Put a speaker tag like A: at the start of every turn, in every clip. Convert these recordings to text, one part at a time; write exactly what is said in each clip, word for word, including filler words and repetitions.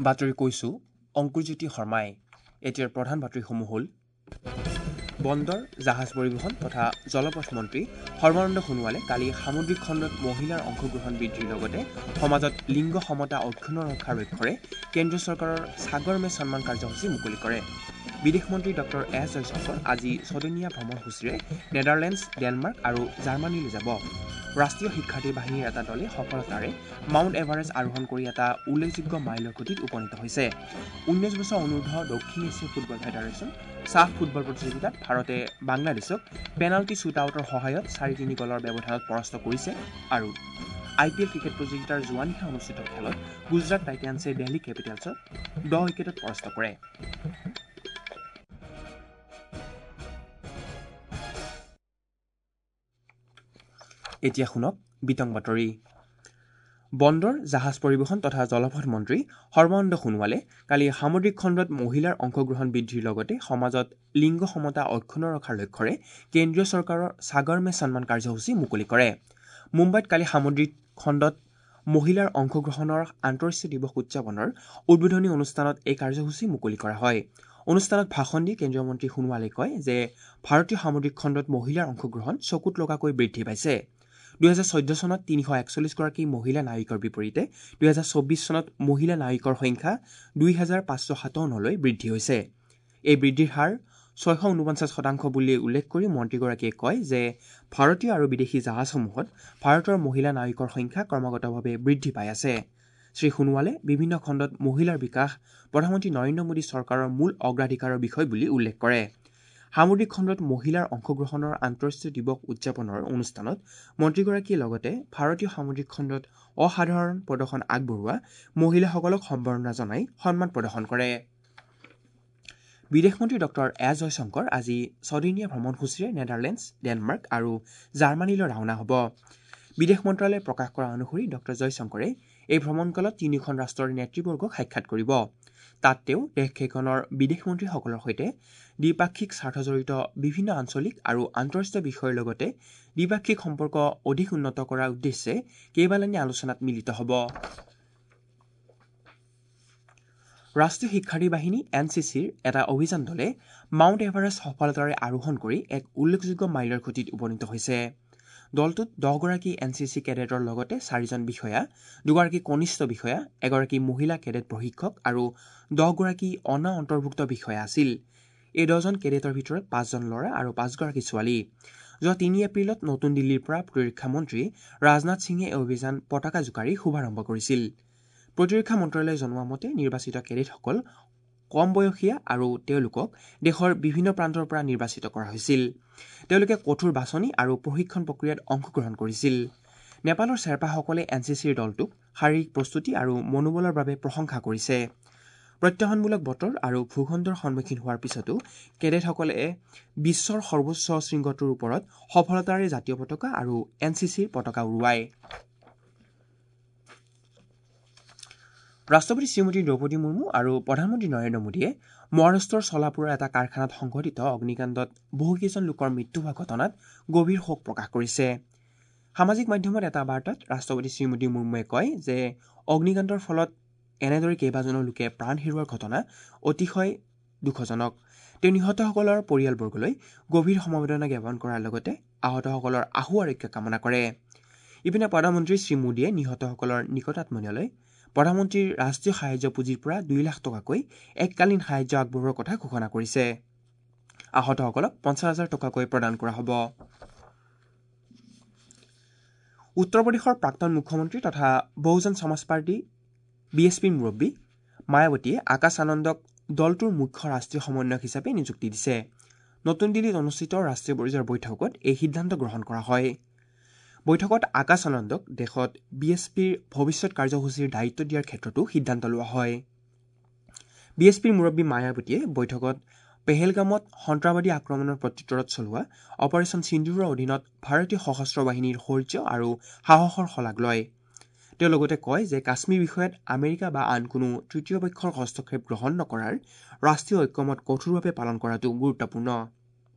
A: বাতৰি কৈছো অংকুৰজ্যোতি শৰ্মাই। এতিয়াৰ প্ৰধান বাতৰিসমূহ হ'ল: বন্দৰ, জাহাজ পৰিবহণ তথা জলপথ মন্ত্ৰী সৰ্বানন্দ সোণোৱালে কালি সামুদ্ৰিক খণ্ডত মহিলাৰ অংশগ্ৰহণ বৃদ্ধিৰ লগতে সমাজত লিংগ সমতা অক্ষুণ্ণ ৰখাৰ লক্ষ্যৰে কেন্দ্ৰীয় চৰকাৰৰ সাগৰ মে সন্মান কাৰ্যসূচী মুকলি কৰে। বিদেশ মন্ত্ৰী ডক্টৰ এছ জয়শংকৰ আজি ছদিনীয়া ভ্ৰমণসূচীৰে নেডাৰলেণ্ডছ, ডেনমাৰ্ক আৰু জাৰ্মানীলৈ যাব। ৰাষ্ট্ৰীয় শিক্ষাৰ্থী বাহিনীৰ এটা দলে সফলতাৰে মাউণ্ট এভাৰেষ্ট আৰোহণ কৰি এটা উল্লেখযোগ্য মাইলৰ খুঁটিত উপনীত হৈছে। ঊনৈছ বছৰ অনুৰ্ধ দক্ষিণ এছিয়া ফুটবল ফেডাৰেশ্যন চাফ ফুটবল প্ৰতিযোগিতাত ভাৰতে বাংলাদেশক পেনাল্টি শ্বুট আউটৰ সহায়ত চাৰি তিনি গ'লৰ ব্যৱধানত পৰাস্ত কৰিছে। আৰু আই পি এল ক্ৰিকেট প্ৰতিযোগিতাৰ যোৱা নিশা অনুষ্ঠিত খেলত গুজৰাট টাইটানছে দিল্লী কেপিটেলছক দহ উইকেটত পৰাস্ত কৰে। এতিয়া শুনক বিতং বাতৰি। বন্দৰ, জাহাজ পৰিবহণ তথা জলপথ মন্ত্ৰী সৰ্বানন্দ সোণোৱালে কালি সামুদ্ৰিক খণ্ডত মহিলাৰ অংশগ্ৰহণ বৃদ্ধিৰ লগতে সমাজত লিংগ সমতা অক্ষুণ্ণ ৰখাৰ লক্ষ্যৰে কেন্দ্ৰীয় চৰকাৰৰ সাগৰ মে সন্মান কাৰ্যসূচী মুকলি কৰে। মুম্বাইত কালি সামুদ্ৰিক খণ্ডত মহিলাৰ অংশগ্ৰহণৰ আন্তঃৰাষ্ট্ৰীয় দিৱস উদযাপনৰ উদ্বোধনী অনুষ্ঠানত এই কাৰ্যসূচী মুকলি কৰা হয়। অনুষ্ঠানত ভাষণ দি কেন্দ্ৰীয় মন্ত্ৰী সোণোৱালে কয় যে ভাৰতীয় সামুদ্ৰিক খণ্ডত মহিলাৰ অংশগ্ৰহণ চকুত লগাকৈ বৃদ্ধি পাইছে। দুহেজাৰ চৈধ্য চনত তিনিশ একচল্লিছগৰাকী মহিলা নায়িকৰ বিপৰীতে দুহেজাৰ চৌব্বিছ চনত মহিলা নায়িকৰ সংখ্যা দুই হাজাৰ পাঁচশ সাতাৱন্নলৈ বৃদ্ধি হৈছে। এই বৃদ্ধিৰ হাৰ ছয়শ ঊনপঞ্চাছ শতাংশ বুলি উল্লেখ কৰি মন্ত্ৰীগৰাকীয়ে কয় যে ভাৰতীয় আৰু বিদেশী জাহাজসমূহত ভাৰতৰ মহিলা নায়িকৰ সংখ্যা ক্ৰমাগতভাৱে বৃদ্ধি পাই আছে। শ্ৰী সোণোৱালে বিভিন্ন খণ্ডত মহিলাৰ বিকাশ প্ৰধানমন্ত্ৰী নৰেন্দ্ৰ মোদী চৰকাৰৰ মূল অগ্ৰাধিকাৰৰ বিষয় বুলি উল্লেখ কৰে। সামুদ্ৰিক খণ্ডত মহিলাৰ অংশগ্ৰহণৰ আন্তঃৰাষ্ট্ৰীয় দিৱস উদযাপনৰ অনুষ্ঠানত মন্ত্ৰীগৰাকীয়ে লগতে ভাৰতীয় সামুদ্ৰিক খণ্ডত অসাধাৰণ প্ৰদৰ্শন আগবঢ়োৱা মহিলাসকলক সম্বৰ্ধনা জনাই সন্মান প্ৰদৰ্শন কৰে। বিদেশ মন্ত্ৰী ডক্টৰ এছ জয়শংকৰ আজি ছদিনীয়া ভ্ৰমণসূচীৰে নেডাৰলেণ্ডছ, ডেনমাৰ্ক আৰু জাৰ্মানীলৈ ৰাওনা হ'ব। বিদেশ মন্ত্ৰালয়ে প্ৰকাশ কৰা অনুসৰি ডক্টৰ জয়শংকৰে এই ভ্ৰমণকালত তিনিওখন ৰাষ্ট্ৰৰ নেতৃবৰ্গক সাক্ষাৎ কৰিব। তাত তেওঁ দেশকেইখনৰ বিদেশ মন্ত্ৰীসকলৰ সৈতে দ্বিপাক্ষিক স্বাৰ্থজড়িত বিভিন্ন আঞ্চলিক আৰু আন্তঃৰাষ্ট্ৰীয় বিষয়ৰ লগতে দ্বিপাক্ষিক সম্পৰ্ক অধিক উন্নত কৰাৰ উদ্দেশ্যে কেইবালানি আলোচনাত মিলিত হ'ব। ৰাষ্ট্ৰীয় শিক্ষাৰ্থী বাহিনী এন চি চিৰ এটা অভিযান দলে মাউণ্ট এভাৰেষ্ট সফলতাৰে আৰোহণ কৰি এক উল্লেখযোগ্য মাইলৰ খুঁটিত উপনীত হৈছে। দলটোত দহগৰাকী এন চি চি কেডেটৰ লগতে চাৰিজন বিষয়া, দুগৰাকী কনিষ্ঠ বিষয়া, এগৰাকী মহিলা কেডেট প্ৰশিক্ষক আৰু দহগৰাকী অনা অন্তৰ্ভুক্ত বিষয়া আছিল। এই দহজন কেডেটৰ ভিতৰত পাঁচজন ল'ৰা আৰু পাঁচগৰাকী ছোৱালী। যোৱা তিনি এপ্ৰিলত নতুন দিল্লীৰ পৰা প্ৰতিৰক্ষা মন্ত্ৰী ৰাজনাথ সিঙে এই অভিযান পতাকা জোকাৰি শুভাৰম্ভ কৰিছিল। প্ৰতিৰক্ষা মন্ত্ৰালয়ে জনোৱা মতে নিৰ্বাচিত কেডেটসকল কম বয়সীয়া আৰু তেওঁলোকক দেশৰ বিভিন্ন প্ৰান্তৰ পৰা নিৰ্বাচিত কৰা হৈছিল। তেওঁলোকে কঠোৰ বাছনি আৰু প্ৰশিক্ষণ প্ৰক্ৰিয়াত অংশগ্ৰহণ কৰিছিল। নেপালৰ শ্বেৰপাসকলে এন চি চিৰ দলটোক শাৰীৰিক প্ৰস্তুতি আৰু মনোবলৰ বাবে প্ৰশংসা কৰিছে। প্ৰত্যাহ্বানমূলক বতৰ আৰু ভূখণ্ডৰ সন্মুখীন হোৱাৰ পিছতো কেডেটসকলে বিশ্বৰ সৰ্বোচ্চ শৃংগটোৰ ওপৰত সফলতাৰে জাতীয় পতাকা আৰু এন চি চিৰ পতাকা উৰুৱায়। ৰাষ্ট্ৰপতি শ্ৰীমতী দ্ৰৌপদী মুৰ্মু আৰু প্ৰধানমন্ত্ৰী নৰেন্দ্ৰ মোদীয়ে মহাৰাষ্ট্ৰৰ চলাপুৰৰ এটা কাৰখানাত সংঘটিত অগ্নিকাণ্ডত বহুকেইজন লোকৰ মৃত্যু হোৱা ঘটনাত গভীৰ শোক প্ৰকাশ কৰিছে। সামাজিক মাধ্যমত এটা বাৰ্তাত ৰাষ্ট্ৰপতি শ্ৰীমতী মুৰ্মুৱে কয় যে অগ্নিকাণ্ডৰ ফলত এনেদৰে কেইবাজনো লোকে প্ৰাণ হেৰুওৱাৰ ঘটনা অতিশয় দুখজনক। তেওঁ নিহতসকলৰ পৰিয়ালবৰ্গলৈ গভীৰ সমবেদনা জ্ঞাপন কৰাৰ লগতে আহতসকলৰ আশু আৰোগ্য কামনা কৰে। ইপিনে প্ৰধানমন্ত্ৰী শ্ৰী মোদীয়ে নিহতসকলৰ নিকটাত্মীয়লৈ প্ৰধানমন্ত্ৰীৰ ৰাষ্ট্ৰীয় সাহায্য পুঁজিৰ পৰা দুই লাখ টকাকৈ এককালীন সাহায্য আগবঢ়োৱাৰ কথা ঘোষণা কৰিছে। আহতসকলক পঞ্চাছ হাজাৰ টকাকৈ প্ৰদান কৰা হ'ব। উত্তৰ প্ৰদেশৰ প্ৰাক্তন মুখ্যমন্ত্ৰী তথা বহুজন সমাজ পাৰ্টী বি এছ পিৰ মুৰব্বী মায়াৱতীয়ে আকাশ আনন্দক দলটোৰ মুখ্য ৰাষ্ট্ৰীয় সমন্বয়ক হিচাপে নিযুক্তি দিছে। নতুন দিল্লীত অনুষ্ঠিত ৰাষ্ট্ৰীয় পৰ্যায়ৰ বৈঠকত এই সিদ্ধান্ত গ্ৰহণ কৰা হয়। বৈঠকত আকাশ আনন্দক দেশত বি এছ পিৰ ভৱিষ্যত কাৰ্যসূচীৰ দায়িত্ব দিয়াৰ ক্ষেত্ৰতো সিদ্ধান্ত লোৱা হয়। বি এছ পিৰ মুৰব্বী মায়াৱতীয়ে বৈঠকত পেহেলগামত সন্ত্ৰাসবাদী আক্ৰমণৰ প্ৰত্যুত্তৰত চলোৱা অপাৰেশ্যন সিন্দুৰৰ অধীনত ভাৰতীয় সশস্ত্ৰ বাহিনীৰ শৌৰ্য আৰু সাহসৰ শলাগ লয়। তেওঁ লগতে কয় যে কাশ্মীৰ বিষয়ত আমেৰিকা বা আন কোনো তৃতীয় পক্ষৰ হস্তক্ষেপ গ্ৰহণ নকৰাৰ ৰাষ্ট্ৰীয় ঐক্যমত কঠোৰভাৱে পালন কৰাটো গুৰুত্বপূৰ্ণ।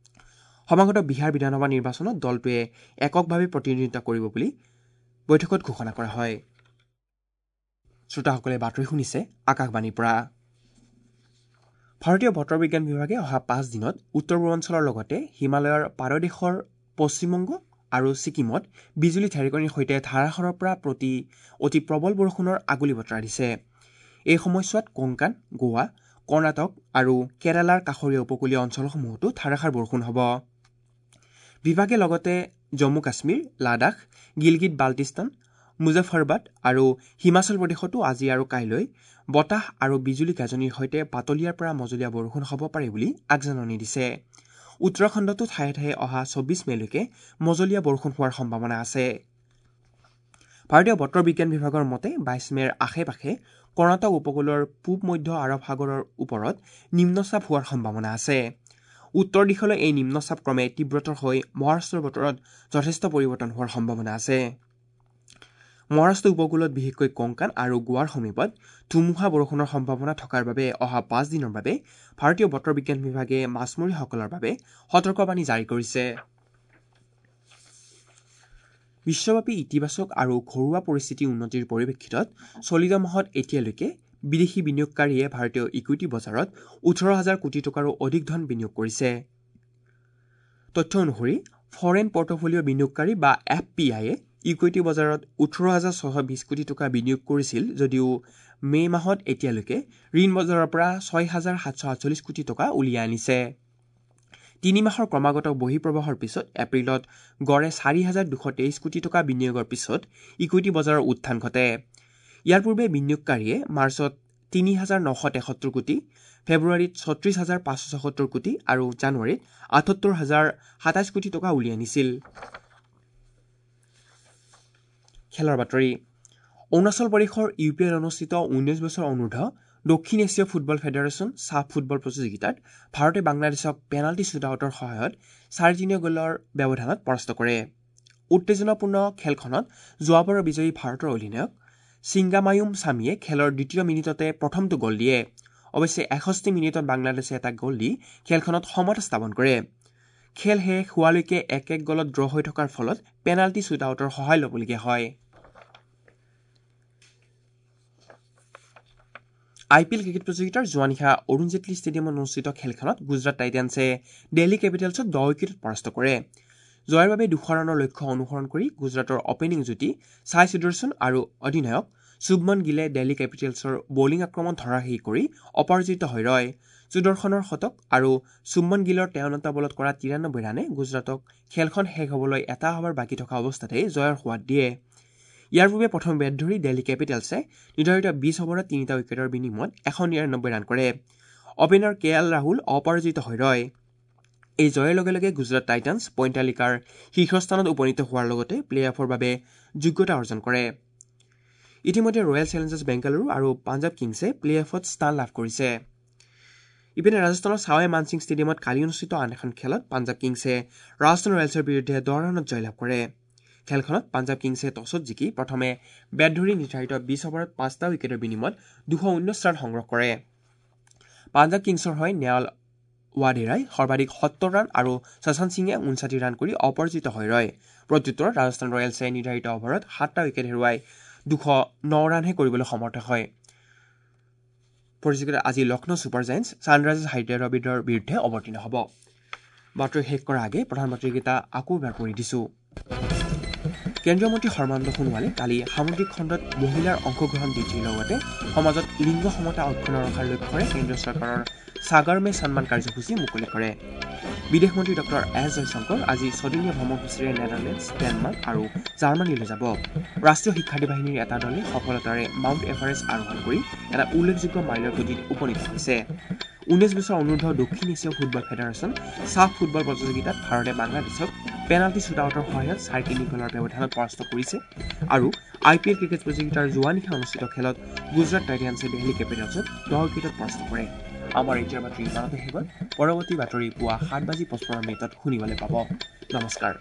A: সমাগত বিহাৰ বিধানসভা নিৰ্বাচনত দলটোৱে এককভাৱে প্ৰতিনিধিত্ব কৰিব বুলি বৈঠকত ঘোষণা কৰা হয়। শ্ৰোতাসকলে বাতৰি শুনিছে আকাশবাণীৰ পৰা। ভাৰতীয় বতৰ বিজ্ঞান বিভাগে অহা পাঁচ দিনত উত্তৰ পূৰ্বাঞ্চলৰ লগতে হিমালয়ৰ পাদদেশৰ পশ্চিমবংগ আৰু ছিকিমত বিজুলী ঢেৰেকনিৰ সৈতে ধাৰাসাৰৰ পৰা প্ৰতি অতি প্ৰবল বৰষুণৰ আগলি বতৰা দিছে। এই সময়ছোৱাত কোংকান, গোৱা, কৰ্ণাটক আৰু কেৰালাৰ কাষৰীয়া উপকূলীয় অঞ্চলসমূহতো ধাৰাসাৰ বৰষুণ হ'ব। বিভাগে লগতে জম্মু কাশ্মীৰ, লাডাখ, গিলগিট বাল্টিস্তান, মুজাফৰবাদ আৰু হিমাচল প্ৰদেশতো আজি আৰু কাইলৈ বতাহ আৰু বিজুলী গাজনিৰ সৈতে পাতলীয়াৰ পৰা মজলীয়া বৰষুণ হ'ব পাৰে বুলি আগজাননী দিছে। উত্তৰাখণ্ডতো ঠায়ে ঠায়ে অহা চৌবিছ মে'লৈকে মজলীয়া বৰষুণ হোৱাৰ সম্ভাৱনা আছে। ভাৰতীয় বতৰ বিজ্ঞান বিভাগৰ মতে বাইছ মে'ৰ আশে পাশে কৰ্ণাটক উপকূলৰ পূব মধ্য আৰৱ সাগৰৰ ওপৰত নিম্নচাপ হোৱাৰ সম্ভাৱনা আছে। উত্তৰ দিশলৈ এই নিম্নচাপ ক্ৰমে তীব্ৰতৰ হৈ মহাৰাষ্ট্ৰৰ বতৰত যথেষ্ট পৰিৱৰ্তন হোৱাৰ সম্ভাৱনা আছে। মহাৰাষ্ট্ৰ উপকূলত বিশেষকৈ কোংকান আৰু গোৱাৰ সমীপত ধুমুহা বৰষুণৰ সম্ভাৱনা থকাৰ বাবে অহা পাঁচ দিনৰ বাবে ভাৰতীয় বতৰ বিজ্ঞান বিভাগে মাছমৰীয়াসকলৰ বাবে সতৰ্কবাণী জাৰি কৰিছে। বিশ্বব্যাপী ইতিবাচক আৰু ঘৰুৱা পৰিস্থিতি উন্নতিৰ পৰিপ্ৰেক্ষিতত চলিত মাহত এতিয়ালৈকে বিদেশী বিনিয়োগকাৰীয়ে ভাৰতীয় ইকুইটি বজাৰত ওঠৰ হাজাৰ কোটি টকাৰো অধিক ধন বিনিয়োগ কৰিছে। তথ্য অনুসৰি ফৰেইন পৰ্টফলিঅ' বিনিয়োগকাৰী বা এফ পি আইয়ে ইকুইটি বজাৰত ওঠৰ হাজাৰ ছশ বিছ কোটি টকা বিনিয়োগ কৰিছিল যদিও মে' মাহত এতিয়ালৈকে ঋণ বজাৰৰ পৰা ছয় হাজাৰ সাতশ আঠচল্লিছ কোটি টকা উলিয়াই আনিছে। তিনি মাহৰ ক্ৰমাগত বহিঃপ্ৰবাহৰ পিছত এপ্ৰিলত গড়ে চাৰি হাজাৰ দুশ তেইছ কোটি টকা বিনিয়োগৰ পিছত ইকুইটি বজাৰৰ উত্থান ঘটে। ইয়াৰ পূৰ্বে বিনিয়োগকাৰীয়ে মাৰ্চত তিনি হাজাৰ নশ তেসত্তৰ কোটি, ফেব্ৰুৱাৰীত ছত্ৰিছ হাজাৰ পাঁচশ ছসত্তৰ কোটি আৰু জানুৱাৰীত আঠসত্তৰ হাজাৰ সাতাইছ কোটি টকা উলিয়াই আনিছিল। খেলৰ বাতৰি। অৰুণাচল প্ৰদেশৰ ইউ পি এত অনুষ্ঠিত ঊনৈছ বছৰ অনুৰ্ধ দক্ষিণ এছীয় ফুটবল ফেডাৰেশ্যন ছাফ ফুটবল প্ৰতিযোগিতাত ভাৰতে বাংলাদেশক পেনাল্টি শ্বুটআউটৰ সহায়ত চাৰি তিনি গ'লৰ ব্যৱধানত পৰাস্ত কৰে। উত্তেজনাপূৰ্ণ খেলখনত যোৱাবাৰৰ বিজয়ী ভাৰতৰ অধিনায়ক ছিংগামায়ুম ছামীয়ে খেলৰ দ্বিতীয় মিনিটতে প্ৰথমটো গ'ল দিয়ে। অৱশ্যে এষষ্ঠি মিনিটত বাংলাদেশে এটা গ'ল দি খেলখনত সমতা স্থাপন কৰে। খেল শেষ হোৱালৈকে এক এক গ'লত ড্ৰ হৈ থকাৰ ফলত পেনাল্টি শ্বুটআউটৰ সহায় ল'বলগীয়া হয়। আই পি এল ক্ৰিকেট প্ৰতিযোগিতাৰ যোৱা নিশা অৰুণ জেটলী ষ্টেডিয়ামত অনুষ্ঠিত খেলখনত গুজৰাট টাইটানছে দিল্লী কেপিটেলছক দহ উইকেটত পৰাস্ত কৰে। জয়ৰ বাবে দুশ ৰানৰ লক্ষ্য অনুসৰণ কৰি গুজৰাটৰ অপেনিং যুটি ছাই সুদৰ্শন আৰু অধিনায়ক শুভমন গিলে দিল্লী কেপিটেলছৰ বলিং আক্ৰমণ ধৰাশায়ী কৰি অপৰাজিত হৈ ৰয়। সুদৰ্শনৰ শতক আৰু শুভমন গিলৰ তেৱন্নটা বলত কৰা তিৰানব্বৈ ৰানে গুজৰাটক খেলখন শেষ হ'বলৈ এটা অভাৰ বাকী থকা অৱস্থাতে জয়ৰ সোৱাদ দিয়ে। ইয়াৰ পূৰ্বে প্ৰথম বেট ধৰি দিল্লী কেপিটেলছে নিৰ্ধাৰিত বিছ অভাৰত তিনিটা উইকেটৰ বিনিময়ত এশ নিৰানব্বৈ ৰান কৰে। অপেনাৰ কে এল ৰাহুল অপৰাজিত হৈ ৰয়। এই জয়ৰ লগে লগে গুজৰাট টাইটানছ পইণ্ট তালিকাৰ শীৰ্ষস্থানত উপনীত হোৱাৰ লগতে প্লে অফৰ বাবে যোগ্যতা অৰ্জন কৰে। ইতিমধ্যে ৰয়েল চেলেঞ্জাৰ্ছ বেংগালুৰু আৰু পাঞ্জাৱ কিংছে প্লে অফত স্থান লাভ কৰিছে। ইপিনে ৰাজস্থানৰ ছাৱাই মানসিং ষ্টেডিয়ামত কালি অনুষ্ঠিত আন এখন খেলত পাঞ্জাৱ কিংছে ৰাজস্থান ৰয়েলছৰ বিৰুদ্ধে দহ ৰানত জয়লাভ কৰে। খেলখনত পাঞ্জাৱ কিংছে টছত জিকি প্ৰথমে বেট ধৰি নিৰ্ধাৰিত বিছ অভাৰত পাঁচটা উইকেটৰ বিনিময়ত দুশ ঊনৈছ ৰান সংগ্ৰহ কৰে। পাঞ্জাৱ কিংছৰ হৈ নেৱাল ৱাডেৰাই সৰ্বাধিক সত্তৰ ৰান আৰু শশান্ত সিঙে ঊনষাঠি ৰান কৰি অপৰাজিত হৈ ৰয়। প্ৰত্যুত্তৰত ৰাজস্থান ৰয়েলছে নিৰ্ধাৰিত অভাৰত সাতটা উইকেট হেৰুৱাই দুশ ন ৰানহে কৰিবলৈ সমৰ্থ হয়। প্ৰতিযোগিতাত আজি লক্ষ্ণৌ ছুপাৰ জায়েণ্টছ ছানৰাইজাৰ্ছ হায়দৰাবাদৰ বিৰুদ্ধে অৱতীৰ্ণ হ'ব। বাতৰি শেষ কৰাৰ আগে প্ৰধান বাতৰিকেইটা আকৌ এবাৰ পঢ়ি দিছোঁ। কেন্দ্ৰীয় মন্ত্ৰী সৰ্বানন্দ সোণোৱালে কালি সামুদ্ৰিক খণ্ডত মহিলাৰ অংশগ্ৰহণ বৃদ্ধিৰ লগতে সমাজত লিংগ সমতা অক্ষুণ্ণ ৰখাৰ লক্ষ্যৰে কেন্দ্ৰীয় চৰকাৰৰ সাগৰ মে সন্মান কাৰ্যসূচী মুকলি কৰে। বিদেশ মন্ত্ৰী ডক্টৰ এছ জয়শংকৰ আজি ছদিনীয়া ভ্ৰমণসূচীৰে নেডাৰলেণ্ডছ, ডেনমাৰ্ক আৰু জাৰ্মানীলৈ যাব। ৰাষ্ট্ৰীয় শিক্ষাৰ্থী বাহিনীৰ এটা দলে সফলতাৰে মাউণ্ট এভাৰেষ্ট আৰোহণ কৰি এটা উল্লেখযোগ্য মাইলৰ খুঁটিত উপনীত হৈছে। ঊনৈছ বছৰ অনুৰ্ধ দক্ষিণ এছীয় ফুটবল ফেডাৰেশ্যন ছাফ ফুটবল প্ৰতিযোগিতাত ভাৰতে বাংলাদেশক পেনাল্টি শ্বুটআউটৰ সহায়ত চাৰি তিনি গ'লৰ ব্যৱধানত পৰাস্ত কৰিছে আৰু আই পি এল ক্ৰিকেট প্ৰতিযোগিতাৰ যোৱা নিশা অনুষ্ঠিত খেলত গুজৰাট টাইটানছে দিল্লী কেপিটেলছক দহ উইকেটত পৰাস্ত কৰে। আমাৰ এতিয়াৰ বাতৰি ইমানতে শেষ হ'ল। পৰৱৰ্তী বাতৰি পুৱা সাত বাজি পঁচপন্ন মিনিটত শুনিবলৈ পাব। নমস্কাৰ।